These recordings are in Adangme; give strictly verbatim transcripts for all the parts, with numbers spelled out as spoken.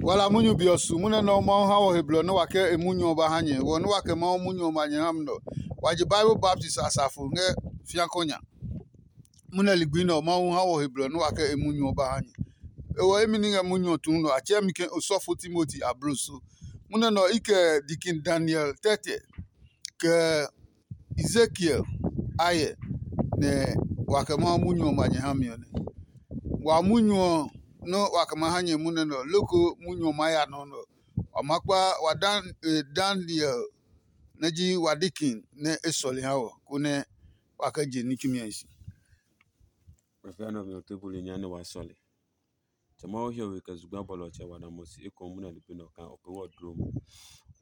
Wala munyu be ɔ su munɛ nɛ ɔ Mawu ha wɔ he blɔ nɛ wa kɛ e munyu ɔ ba ha nyɛ. Wɔ nɛ wa kɛ Mawu munyu ɔ ma nyɛ ha mi nɛ ɔ, wa je Bible baptist asafo ngɛ fiakɔ nya. Munɛ ligbi nɛ ɔ Mawu ha wɔ he blɔ nɛ wa kɛ e munyu ɔ ba ha nyɛ. Ewɔ emi ní ngɛ munyu ɔ tuu nɛ ɔ, a tsɛɛ mi ke osɔfo Timoti abloso. Munɛ nɛ ɔ i kɛ dikin Daniel tɛtɛ kɛ Ezekiel ayɛ nɛ wa kɛ Mawu munyu ɔ ma nyɛ ha mi ɔ nɛ. Wa munyu ɔ nɔ́ wa kɛ ma ha nyɛ munɛ nɛ ɔ, loko munyu ɔ maa ya nɔ nɛ ɔ, wa maa kpa wa Dan, eh, Daniel nɛ ji wa dikin nɛ e sɔle ha wɔ, konɛ wa kɛ je ní tsumi ɔ hi si. Afia nɛ ɔ mi ɔ tue buli nya nɛ wa sɔle. Tsɛ Mawu hiɔwe kɛ zugba bɔlɔtsɛ wa na mo si ekohu munɛ ligbi nɛ ɔ kaa o pee wɔ dloo mo.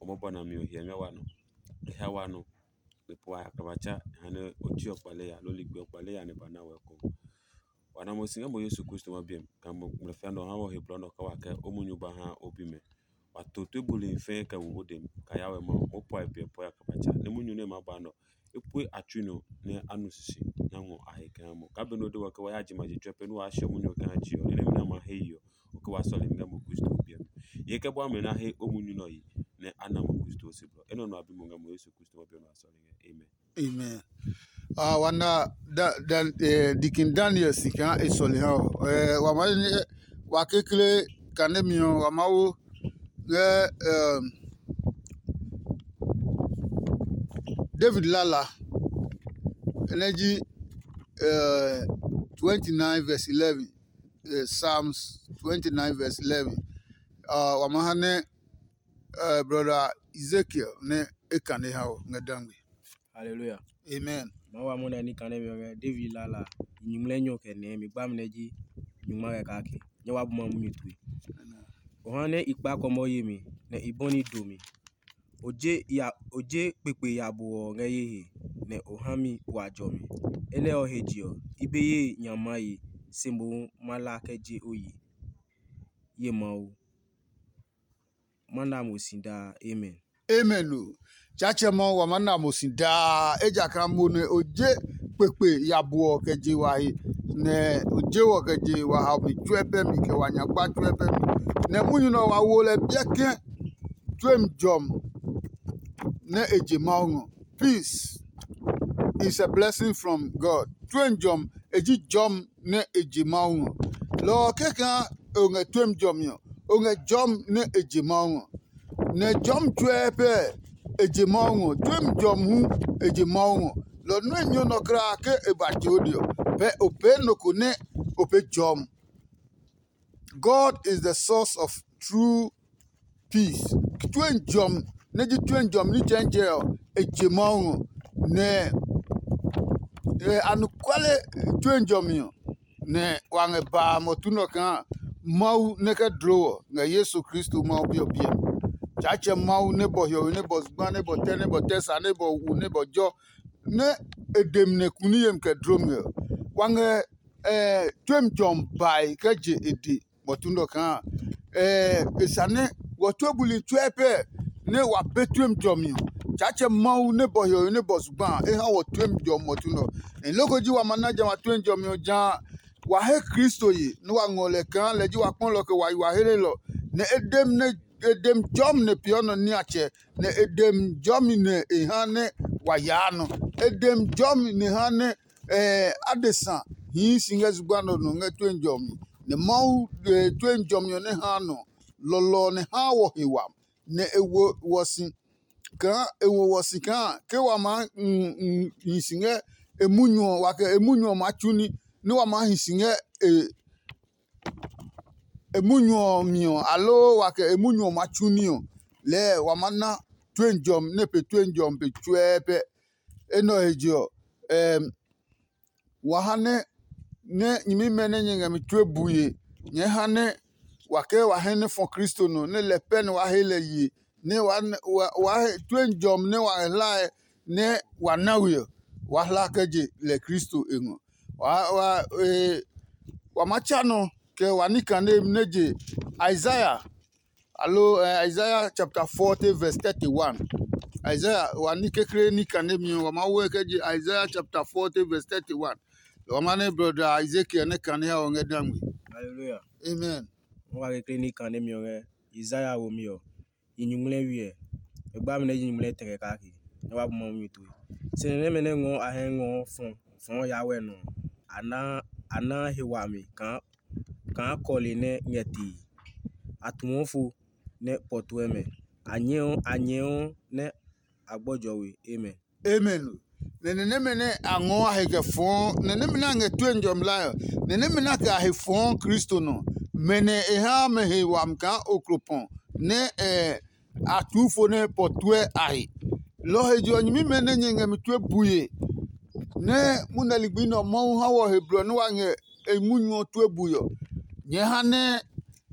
O mɔbɔ nami ɔ hyɛ ngɛ wa nɔ. E ha wa nɔ. E po wa yakla ba tsa e ha nɛ o tsi ɔ kpale ya loo ligbi ɔ kpale ya nɛ ba na wɛ ekohu. Wa na mo si ngɛ mo Yesu Kristo ma biɛ mi, kaa mo ngmlɛfia nɛ ɔ ha wɔ he blɔ nɛ ɔ kaa wa kɛ o munyu ba ha o bimɛ. Wa to tue buli fɛɛ kɛ wo o dɛ mi, kaa ya wɛ Mawu, moo puae piɛ puɛ yakla ba tsa, nɛ munyu nɛ e maa ba nɛ ɔ, e pue a tsui nɔ nɛ a nu sisi nɛ a ngɔ a he kɛ ha mo. Kaa benɛ o de wɔ ke wa ya je ma je tsuɛ pɛ nɛ waa siɔ munyu ɔ kɛ ha je ɔ, enɛ mi nɛ a ma he yi ɔ, o ke wa sɔle mi ngɛ mo Kristo o biɛ mi. Ye kɛ bua mɛ na he o munyu nɛ ɔ yi, nɛ a na mo Kristo o se blɔ. Enɛ ɔ nɔ a bi mo ngɛ mo Yesu Kristo o biɛ nɔ a sɔle ngɛ. Amen. Amen. Ah, wa na da, da, eh, dikin Daniel si kaa e sɔle ha ɔ. Eh, wa ma ne wa kekle kane mi ɔ, wa ma wo ngɛ, um, David lala nɛ ji, eh, twenty-nine verse eleven, eh, Psalms twenty-nine verse eleven. Ah, wa ma ha nɛ, eh, brother Ezekiel nɛ e kane ha ɔ ngɛ dangbe. Hallelujah. Amen. Mawu a mɔ nɛ ní kane mi ɔmɛ David lala nyuŋmlɛ nyɔ kɛ nɛ mi gba mi nɛ ji nyuŋma kɛ kake. Nyɛ wa bu ma munyu tue. O ha nɛ i kpa kɔmɔ ye mi nɛ i bɔni do mi. O je ya o je kpekpe ya bo ɔ ngɛ ye he nɛ o ha mi wa jɔ mi. Enɛ ɔ he je ɔ, i be ye nya maye, se mohu ma la kɛ je o yi. Ye Mawu. Ma na mo si daa. Amen. Amen o. Tsaatsɛ Mawu wa ma na mo si daa, ejakaa mo nɛ o je kpekpe ya buɔ kɛ je wa he, nɛ o je wɔ kɛ je wa ha mi tsuɛ pɛ mi kɛ wa nyagba tsuɛ pɛ mi. Nɛ munyu nɛ ɔ wa wo lɛ biɛ ke tsuem jɔmi nɛ e je Mawu ngɔ. Peace is a blessing from God. Tsuem jɔmi e ji jɔmi nɛ e je Mawu ngɔ. Lɔ ɔ kɛkaa o ngɛ tsuem jɔmi ɔ, o ngɛ jɔmi nɛ e je Mawu ngɔ. Nɛ jɔmi tsuɛ pɛ e je Mawu ngɔ. Tsuem jɔmi hu e je Mawu ngɔ. Lɔ nɔ́ e nyɔ nɔ kulaa ke e ba je o de ɔ, pɛ o pee nɔ ko nɛ o pee jɔmi. God is the source of true peace. Tue jɔmi nɛ ji tue jɔmi ní tsɛntsɛ ɔ, e je Mawu ngɔ. Nɛ e anɔkuale tue jɔmi ɔ, nɛ wa ngɛ ba a mɔtu nɛ ɔ kaa Mawu nɛ kɛ dlo wɔ ngɛ Yesu Kristo Mawu Bi ɔ biɛ mi. Tsaatsɛ Mawu nɛ bɔ hiɔwe nɛ bɔ zugba nɛ bɔ tɛ nɛ bɔ tɛ sa nɛ bɔ wu nɛ bɔ jɔ nɛ e de mi nɛ kuni yemi kɛ dlo mi ɔ, wa ngɛ tue jɔmi bae kɛ je e de. Bɔtu nɛ ɔ kaa e sane wɔ tue buli tsuɛ pɛ nɛ wa pee tue jɔmi ɔ. Tsaatsɛ Mawu nɛ bɔ hiɔwe nɛ bɔ zugba a, e ha wɔ tue jɔmi bɔtu nɛ ɔ. Nɛ loko ji wa ma na jamɛ a tue jɔmi ɔ jã a, wa he Kristo ye nɛ wa ngɔ lɛ kaa lɛ ji wa kpɔlɔ kɛ wa yi wa helelɔ, nɛ e dem nɛ e dem jɔmi nɛ peeɔ nɔ niatsɛ, nɛ e dem jɔmi nɛ e ha nɛ wa yaa nɔ. E dem jɔmi nɛ ha nɛ adesa hii si ngɛ zugba nɔ nɔ ngɛ tue jɔmi. Nɛ Mawu tue jɔmi ɔ nɛ haa nɔ lɔlɔ nɛ haa wɔ he wami, nɛ e wo wɔ si kaa e wo wɔ si kaa ke wa maa hi si ngɛ e munyu ɔ, wa kɛ e munyu ɔ maa tsu ní, nɛ wa maa hi si ngɛ e e munyu ɔ mi ɔ, aloo wa kɛ e munyu ɔ maa tsu ní ɔ, lɛɛ wa maa na tue jɔmi nɛ pe tue jɔmi pe tsuɛɛ pɛ. Enɛ ɔ he je ɔ, wa ha nɛ nɛ nyɛmimɛ nɛ nyɛ ngɛ mi tue bue, nyɛɛ ha nɛ wa kɛ wa hɛ nɛ fɔ Kristo nɔ, nɛ lɛ pɛ nɛ wa he lɛ ye, nɛ wa wa he tue jɔmi nɛ wa ngɛ hlae nɛ wa na we ɔ, wa hla kɛ je lɛ Kristo e ngɔ. Wa wa e wa ma tsa nɔ kɛ wa ní kane nɛ je Isaiah, alo eh, Isaiah chapter forty verse thirty-one. Isaiah wa ní kekle ní kane mi ɔ, wa ma wo kɛ je Isaiah chapter forty verse thirty-one. Wa ma nɛ brother Ezekiel nɛ kane ha ɔ ngɛ dangwe. Hallelujah. Amen. Mo wa kekle ní kane mi ɔ ngɛ Isaiah womi ɔ, yi nyuŋmlɛ wiɛ. E gba mi nɛ yi nyuŋmlɛ tɛ kɛ kake, nɛ wa bu Mawu mi tue. Se nɛ nɛmɛ nɛ ngɔɔ a hɛ ngɔɔ fɔ fɔɔ ya wɛ nɔ ɔ, a naa a naa he wami kaa kaa kɔle nɛ ngɛ tee. A tuɔ fo nɛ pɔtuɛ mɛ. A nyɛɔ a nyɛɔ nɛ a gbɔjɔ we. Amen. Amen. Nɛ nɛ nɛmɛ nɛ a ngɔɔ a he kɛ fɔɔ, nɛ nɛmɛ nɛ a ngɛ tue njɔmlae ɔ, nɛ nɛmɛ nɛ a kɛ a he fɔɔ Kristo nɔ, mɛ nɛ e haa mɛ he wami kaa oklo pɔ nɛ a tuu fo nɛ pɔ tuɛ a he. Lɔ ɔ he je ɔ, nyɛmimɛ nɛ nyɛ ngɛ mi tue bue nɛ munɛ ligbi nɛ ɔ Mawu ha wɔ he blɔ nɛ wa ngɛ e munyu ɔ tue bue ɔ, nyɛɛ ha nɛ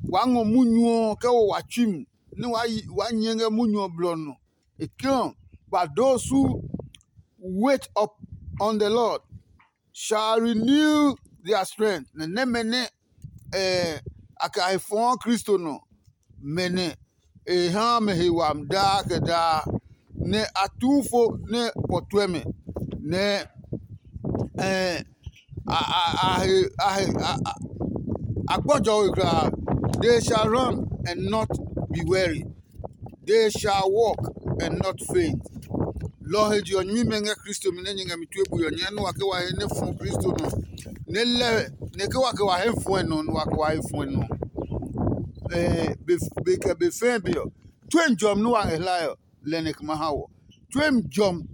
waa ngɔ munyu ɔ kɛ wo wa tsui mi nɛ waa nyɛ ngɛ munyu ɔ blɔ nɔ. E ke ɔ, but those who wait up on the Lord shall renew their strength. Nɛ nɛmɛ nɛ a kɛ a he fɔɔ Kristo nɔ, mɛ nɛ e haa mɛ he wami daa kɛ daa, nɛ a tuu fo nɛ pɔ tuɛ mɛ, nɛ a, a, a, he, a, he, a, a, a gbɔjɔ we kulaa. They shall run and not be weary. They shall walk and not faint. Lɔ ɔ he je ɔ, nyɛmimɛ ngɛ Kristo mi nɛ nyɛ ngɛ mi tue bui ɔ, nyɛɛ nɛ wa ke wa he nɛ fɔ Kristo nɔ, nɛ lɛ nɛ ke wa ke wa he fuɛ nɔ, nɛ wa ke wa he fuɛ nɔ. Ɛɛ, be be kɛ be fɛɛ be ɔ, tue njɔmi nɛ wa ngɛ hlae ɔ, lɛ nɛ kɛ ma ha wɔ. Tue njɔmi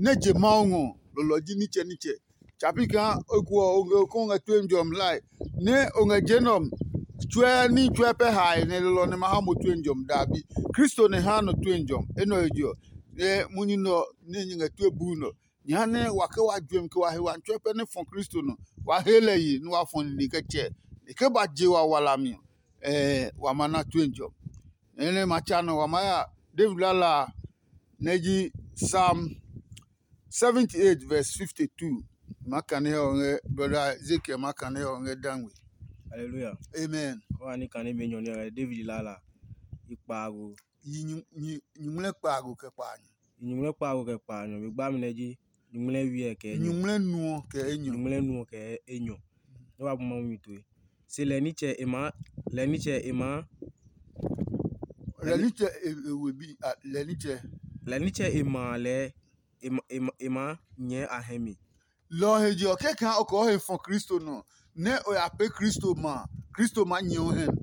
nɛ je Mawu ngɔ ɔ, lɔlɔ ji nitsɛnitsɛ. Tsa pi kaa o kuɔ o ngɛ ko ngɛ tue njɔmi hlae, nɛ o ngɛ je nɛ ɔ tsuɛ ní tsuɛ pɛ hae nɛ lɔlɔ nɛ ma ha mo tue njɔmi daabi. Kristo nɛ ha nɔ tue njɔmi. Enɛ ɔ he je ɔ, nɛ munyu nɛ ɔ nɛ nyɛ ngɛ tue buu nɛ ɔ, nyɛ ha nɛ wa ke wa juɛmi kɛ wa he wami tsuɛ pɛ nɛ fɔ Kristo nɔ, wa he lɛ ye nɛ wa fɔ nine kɛ tsɛ. E ke ba je wa walami ɔ, ɛɛ wa ma na tue njɔmi. Enɛ ma tsa nɔ wa maa ya David lala a, nɛ ji Psalm seventy eight verse fifty two. Ma kane ɔ ngɛ brother Ezekiel ma kane ɔ ngɛ dangwe. Hallelujah. Amen. Wa ni kane be nyɔ ni ɔ David lala i kpaago. Yi nyuŋmlɛ kpaago kɛ kpaanyɔ. Yi nyuŋmlɛ kpaago kɛ kpaanyɔ be gba mi nɛ ji nyuŋmlɛ wiɛ kɛ enyɔ. Nyuŋmlɛ nuɔ kɛ enyɔ. Nyuŋmlɛ nuɔ kɛ enyɔ. Ne wa bu ma mi toe. Se lɛ nitsɛ e ma lɛ nitsɛ e ma lɛ nitsɛ e we bi lɛ nitsɛ. Lɛ nitsɛ e ma lɛ e ma e ma e ma nyɛ a hɛ mi. Lɔ ɔ he je ɔ, kɛkaa o kɛ o he fɔ Kristo nɔ, nɛ o ya pee Kristo ma a, Kristo maa nyɛ o hɛ mi.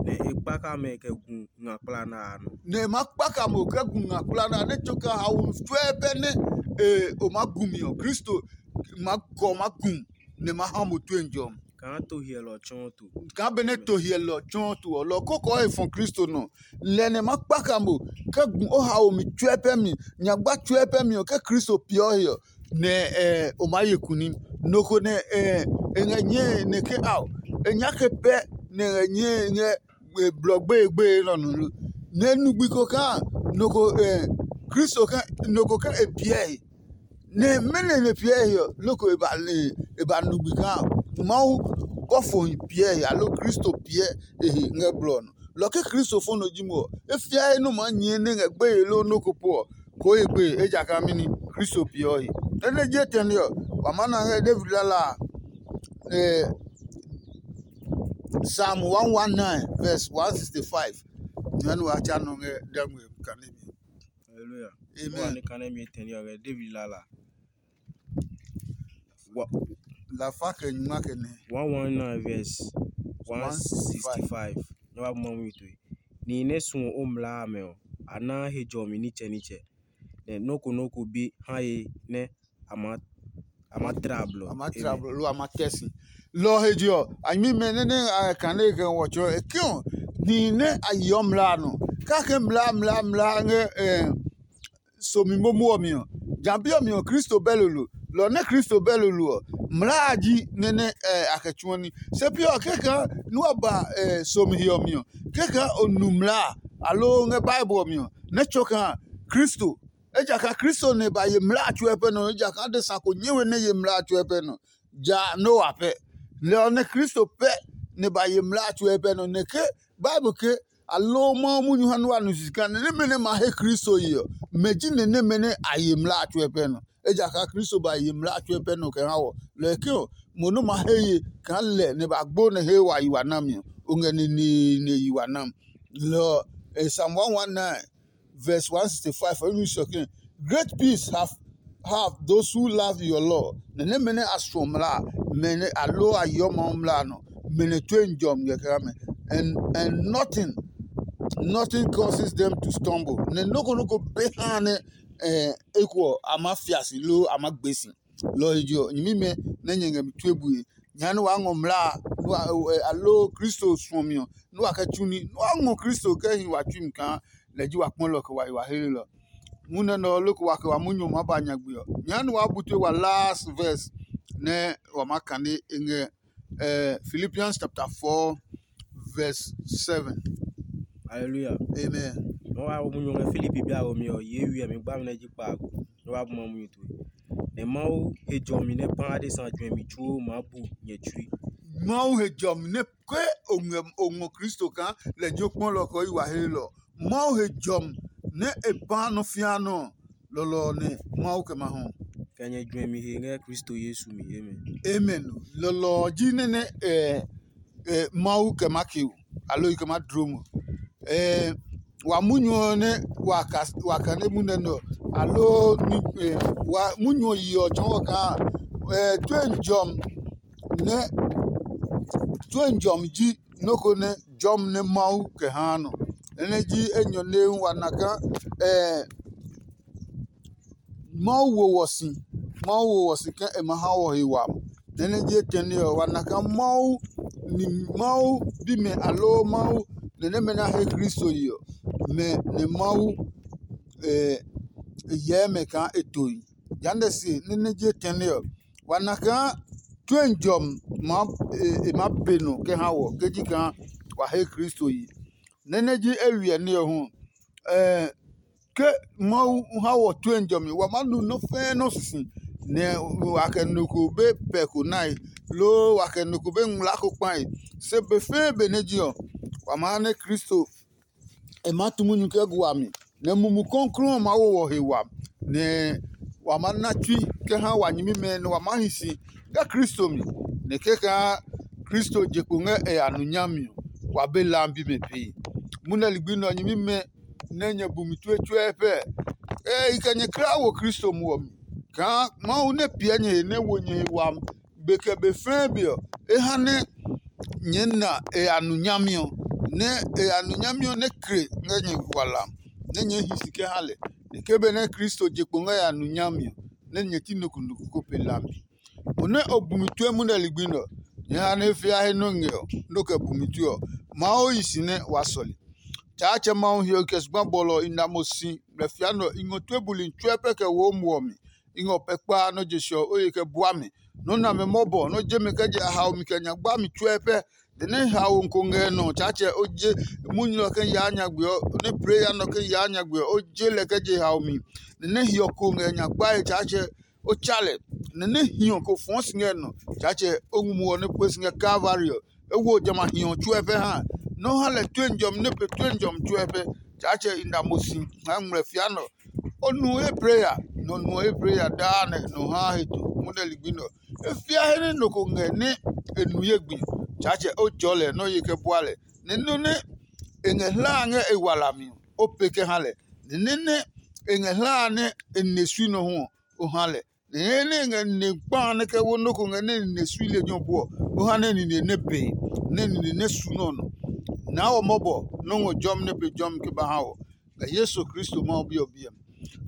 Nɛ e kpaka mɛ kɛ gu nga kpla na a nɔ. Nɛ e maa kpaka mo kɛ gu nga kpla na a nɛ tso kɛ haomi tsuɛ pɛ nɛ e o maa gu mi ɔ, Kristo maa kɔ maa gu nɛ ma ha mo tue njɔ. Kaa to hiɛlɔ tsɔɔ to. Kaa benɛ to hiɛlɔ tsɔɔ to ɔ, lɔ ko kɛ o he fɔ Kristo nɔ. Lɛ nɛ ma kpaka mo kɛ gu o haomi tsuɛ pɛ mi, nyagba tsuɛ pɛ mi ɔ, kɛ Kristo piɛ o he ɔ, nɛ o maa ye kunim. Nɔ ko nɛ e ngɛ nyɛe nɛ ke ao, e nyake pɛ nɛ e ngɛ nyɛe ngɛ blɔ gbeye gbeye nɛ ɔ nɔ lo. Nɛ nugbi ko kaa nɔ ko Kristo nɔ ko kɛ e piɛ he. Nɛ mɛnɔ nɛ piɛ he ɔ, loko e ba le e ba nugbi kaa Mawu bɔfohi piɛ he aloo Kristo piɛ e he ngɛ blɔ ɔ nɔ. Lɔ ke Kristo fɔ nɔ ji mo ɔ, e fiae nɔ maa nyɛɛ nɛ ngɛ gbeye loo nɔ́ ko po ɔ, koo ye gbeye, ejakaa mɛni? Kristo piɛ ɔ he. Nɛ nɛ je tɛne ɔ, wa maa na ngɛ David lala a, eh, Psalm one one nine verse one sixty five. Nyɛ nu wa tsa nɔ ngɛ dɛngbe kane mi. Hallelujah. Amen. Wa ni kane mi tɛne ɔ ngɛ David lala. Wa- Lafa kɛ nyuma kɛ nɛ. One one nine verse one sixty five. Nɛ wa mɔ mi tue. Ni nɛ suɔ o mlaa amɛ ɔ, a naa he jɔmi nitsɛ nitsɛ. Nɛ nɔ́ ko nɔ́ ko be ha ye nɛ a ma a ma tra blɔ. A ma tra blɔ lo a ma tɛ si. Lɔ ɔ he je ɔ, a nyɛmimɛ nɛ nɛ a kane kɛ wɔtsɔ e ke ɔ, nihi nɛ a yeɔ mlaa nɔ kake mlaa mlaa mlaa ngɛ somi momo ɔ mi ɔ, ja bi ɔ mi ɔ Kristo bɛ lolo. Lɔ ɔ nɛ Kristo bɛ lolo ɔ, mlaa a ji nɛ nɛ a kɛ tsuɔ ní. Se pi ɔ kɛkaa nú a ba somi he ɔ mi ɔ, kɛkaa o nu mlaa aloo ngɛ Bible ɔ mi ɔ, nɛ tsɔ kaa Kristo. Ejakaa Kristo nɛ ba ye mlaa a tsuɛ pɛ nɔ, ejakaa adesa ko nyɛ we nɛ ye mlaa a tsuɛ pɛ nɔ. Ja Noa pɛ. Lɛ ɔ nɛ Kristo pɛ nɛ ba ye mlaa a tsuɛ pɛ nɔ, nɛ ke Bible ke a loo Mawu munyu ha nɛ wa nu sisi kaa nɛ nɛmɛ nɛ ma he Kristo ye ɔ, mɛ ji nɛ nɛmɛ nɛ a ye mlaa a tsuɛ pɛ nɔ. Ejakaa Kristo ba ye mlaa a tsuɛ pɛ nɔ kɛ ha wɔ. Lɔ ɔ ke ɔ, mo nɛ ma he ye kaa lɛ nɛ ba gbo nɛ he wa yi wa nami ɔ, o ngɛ neneene yi wa nam. Lɔ, eh, Psalm one one nine, verse one sixty-five, ɔ nu sɔ ke, "Great peace have have those who love your law." Nɛ nɛ mɛnɛ a suɔ mla, mɛnɛ a lo a yɔ Mawu mla nɔ, mɛnɛ tue n jɔm ngɛ kɛ mɛ. And and nothing, nothing causes them to stumble. Nɛ noko noko be ha nɛ eh, eko ɔ, a ma fia si loo a ma gbe si. Lɔ ɔ he je ɔ, nyɛmimɛ nɛ nyɛ ngɛ mi tue bue, nya nɛ waa ngɔ mlaa, nɛ wa, eh, aloo Kristo suɔmi ɔ, nɛ wa kɛ tsu ní, nɛ wa ngɔ Kristo kɛ hi wa tsui mi kaa lɛ ji wa kpɔlɔ kɛ wa yi wa helenɔ. Munɛ nɛ ɔ loko wa kɛ wa munyu ɔ maa ba nyagbe ɔ, nya nɛ waa bu tue wa last verse nɛ wa maa kane e ngɛ eh, Philippians chapter four, verse seven. Hallelujah. Amen. Nɔ wa wo munyu ngɛ Filipi bi a wo mi ɔ, ye wi mi gba mi nɛ ji kpaago. Nɔ wa bu ma munyu tue. Nɛ Mawu he jɔmi nɛ pã adesa juɛmi tsuo maa bu nyɛ tsui. Mawu he jɔmi nɛ ke o ngɛ o ngɔ Kristo kaa lɛ jo kpɔlɔ kɔ yi wa he lɔ. Mawu he jɔmi nɛ e pã nɔ fia nɔ lɔlɔ ɔ nɛ Mawu kɛ ma hɔ. Kɛ nyɛ juɛmi he ngɛ Kristo Yesu mi. Amen. Amen. Lɔlɔ ɔ ji nɛ nɛ eh, eh, Mawu kɛ ma ke o, aloo i kɛ ma dlo mo. Eh, wa munyu ɔ nɛ wa ka wa ka nɛ munɛ nɔ, aloo ni eh, wa munyu ɔ yi ɔ tsɔɔ kaa eh, tue n jɔm nɛ tue n jɔm ji nɔ́ ko nɛ jɔmi nɛ Mawu kɛ haa nɔ. Enɛ ji enyɔ nɛ wa na kaa eh, Mawu wo wɔ si, Mawu wo wɔ si ke e ma ha wɔ he wami. Nɛ nɛ ji etɛne ɔ, wa na kaa Mawu ni Mawu bimɛ aloo Mawu nɛ nɛmɛ nɛ a he Kristo yi ɔ, mɛ nɛ Mawu hyɛɛ mɛ kaa e tohi. Jehanɛ se nɛ nɛ ji etɛne ɔ, wa na kaa tue n jɔmi e maa be nɔ kɛ ha wɔ ke ji kaa wa he Kristo yi. Nɛ nɛ ji eywiɛ ní ɔ hu, ke Mawu ha wɔ tue jɔmi, wa maa nu nɔ́ fɛ́ɛ́ nɔ́ sisi, nɛ wa kɛ nɔ ko be pɛ ko nae, loo wa kɛ nɔ ko be ngmlaa ko kpae. Se be fɛ́ɛ́ benɛ ji ɔ, wa maa nɛ Kristo e maa tu munyu kɛ gu wami, nɛ Mumi Klɔuklɔu ɔ maa wo wɔ he wami, nɛ wa maa na tsui kɛ ha wa nyɛmimɛ, nɛ wa maa hi si ngɛ Kristo mi, nɛ kɛkaa Kristo je kpo ngɛ e ya nu nyami ɔ, wa be lambi mɛ pee. Munɛ ligbi nɛ ɔ, nyɛmimɛ nɛ nyɛ bu mi tue tsuɛ pɛ. Ɛ i kɛ nyɛ kla wo Kristo muɔ mi, kaa Mawu nɛ piɛ nyɛ he nɛ wo nyɛ he wami be kɛ be fɛɛ be ɔ, e ha nɛ nyɛɛ na e ya nu nyami ɔ, nɛ e ya nu nyami ɔ nɛ kle ngɛ nyɛ hwalam, nɛ nyɛɛ hi si kɛ ha lɛ. Nɛ ke benɛ Kristo je kpo ngɛ ya nu nyami ɔ, nɛ nyɛ ti nɔ ko nɔ ko ko pe lambi. Mo nɛ o bu mi tue munɛ ligbi nɛ ɔ, nyɛ ha nɛ e fia he nɔ ngɛ ɔ, nɔ kɛ bu mi tue ɔ, Mawu yi si nɛ wa sɔle. Tsaatsɛ Mawu hiɔ kɛ zugba bɔlɔ ɔ i na mo si, blɛ fia nɛ ɔ i ngɔ tue buli tsuɛ pɛ kɛ wo muɔ mi. I ngɔ pɛ kpaa nɔ́ je se ɔ, o ye kɛ bua mi. Nɔ́ nɛ a mɛ mɔbɔ, nɔ́ je mi kɛ je a hao mi kɛ nya gba mi tsuɛ pɛ. Nɛ nɛ hao ko ngɛ nɔ, Tsaatsɛ, o je munyu ɔ kɛ yaa nyagbe ɔ, nɛ plee ya nɔ kɛ yaa nyagbe ɔ, o je lɛ kɛ je hao mi. Nɛ nɛ hiɔ ko ngɛ nya gbae, Tsaatsɛ, o tsa lɛ. Nɛ nɛ hiɔ ko fɔɔ si ngɛ nɔ, Tsaatsɛ, o ngmu ɔ nɛ pue si ngɛ Kalvari ɔ, e wo jamɛ a hiɔ tsuɛ pɛ ha. Nɔ́ ha lɛ tue njɔmi nɛ pe tue njɔmi tsuɛ pɛ, Tsaatsɛ, i na mo si ngɛ ngmlɛ fia nɔ. O nu he pre ya, nɛ o nu he pre ya daa nɛ nɔ haa he to. Munɛ ligbi nɛ ɔ, e fia he nɛ nɔ ko ngɛ nɛ e nu ye gbi, Tsaatsɛ, o jɔɔ lɛ nɛ o ye kɛ bua lɛ. Nɛ nɔ́ nɛ e ngɛ hlaa ngɛ e walami ɔ, o pee kɛ ha lɛ. Nɛ nɛ nɛ e ngɛ hlaa nɛ e ne sui nɔ hu ɔ, o ha lɛ. Nɛ nɛ nɛ e ngɛ ne kpa nɛ kɛ wo nɔ́ ko ngɛ nɛ e ne sui lejɛ ɔ pu ɔ, o ha nɛ nine nɛ bee, nɛ nine nɛ su nɔ́ nɔ. Naa wɔ mɔbɔ nɔ́ ngɔ jɔmi nɛ pe jɔmi kɛ ba ha wɔ, ngɛ Yesu Kristo Mawu Bi ɔ biɛ mi.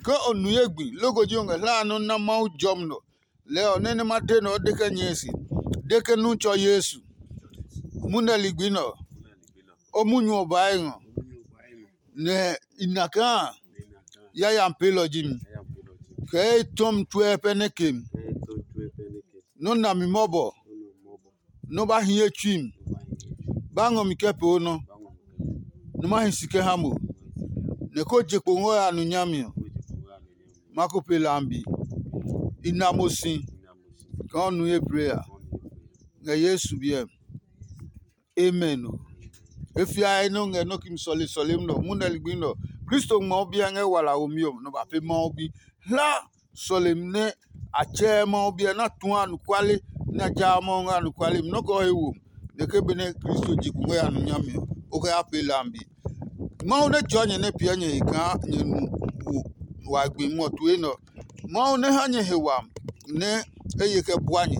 Ke o nu ye gbi, loko ji o ngɛ hlaa nɔ́ na Mawu jɔmi nɔ, lɛɛ ɔ nɛ nɛ ma de nɛ o de kɛ nyɛɛ se, de ke nu tsɔ Yesu. Munɛ ligbi nɛ ɔ, o munyu ɔ baa e ngɔ, nɛ i na kaa yayami peelɔ ji mi, kɛ e tɔmi tsuɛ pɛ nɛ ke mi. Nɔ́ na mi mɔbɔ, nɔ́ ba hi ye tsui mi, ba ngɔ mi kɛ pee o nɔ, nɔ́ ma hi si kɛ ha mo, nɛ ko je kpo ngɔ ya nu nyami ɔ, ma ko pe lambi. I na mo si kaa o nu ye pre a, ngɛ Yesu biɛ mi. Amen o. E fiae nɛ o ngɛ nɔ́ kimi sɔle sɔlemi nɛ ɔ, munɛ ligbi nɛ ɔ, Kristo ngmɔ o biɛ ngɛ wala womi ɔ nɔ ba pe Mawu bi. Hla sɔlemi nɛ a tsɛɛ Mawu biɛ nɛ a tua anɔkuale nɛ a jaa Mawu ngɛ anɔkuale mi nɔ́ kɛ o he wo mi. Nɛ ke benɛ Kristo je kungwɛ ya nu nyami ɔ, o kɛ ya pee lambi. Mawu nɛ tsɔɔ nyɛ nɛ piɛ nyɛ he kaa nyɛ nu wo wa gbi ngmɔ tue nɛ ɔ. Mawu nɛ ha nyɛ he wami nɛ e ye kɛ bua nyɛ,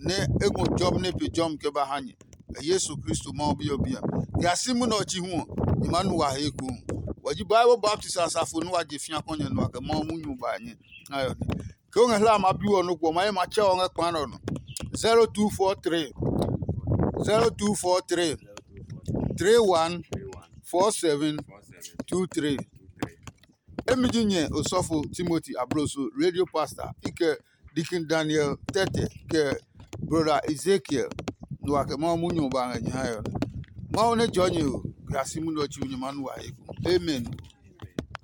nɛ e ngɔ jɔmi nɛ pe jɔmi kɛ ba ha nyɛ. Kɛ Yesu Kristo Mawu Bi ɔ biɛ. Kɛ a si munɛ ɔ chi hu ɔ, nyɛ maa nu wa he ekohu. Wa ji Bible baptist asafo nɛ wa je fĩa kɔnyɛ nua kɛ Mawu munyu ba nyɛ. Ayɔ ne. Ke o ngɛ hla ma bi ɔ nɔ gbɔ ma ye ma tsɛ ɔ ngɛ kpa nɔ nɔ. zero two four three zero two four three three one four seven two three. Emi ji nyɛ osɔfo Timothy Abroso, radio pastor, i kɛ Deacon Daniel Tete, kɛ Brother Ezekiel, nua kɛ Mawu munyu ba ngɛ nyɛ hae ɔ. Mawu nɛ jɔ nyɛ o, kɛ a si munyu ɔ tsi nyɛ ma nu wa he ko. Amen.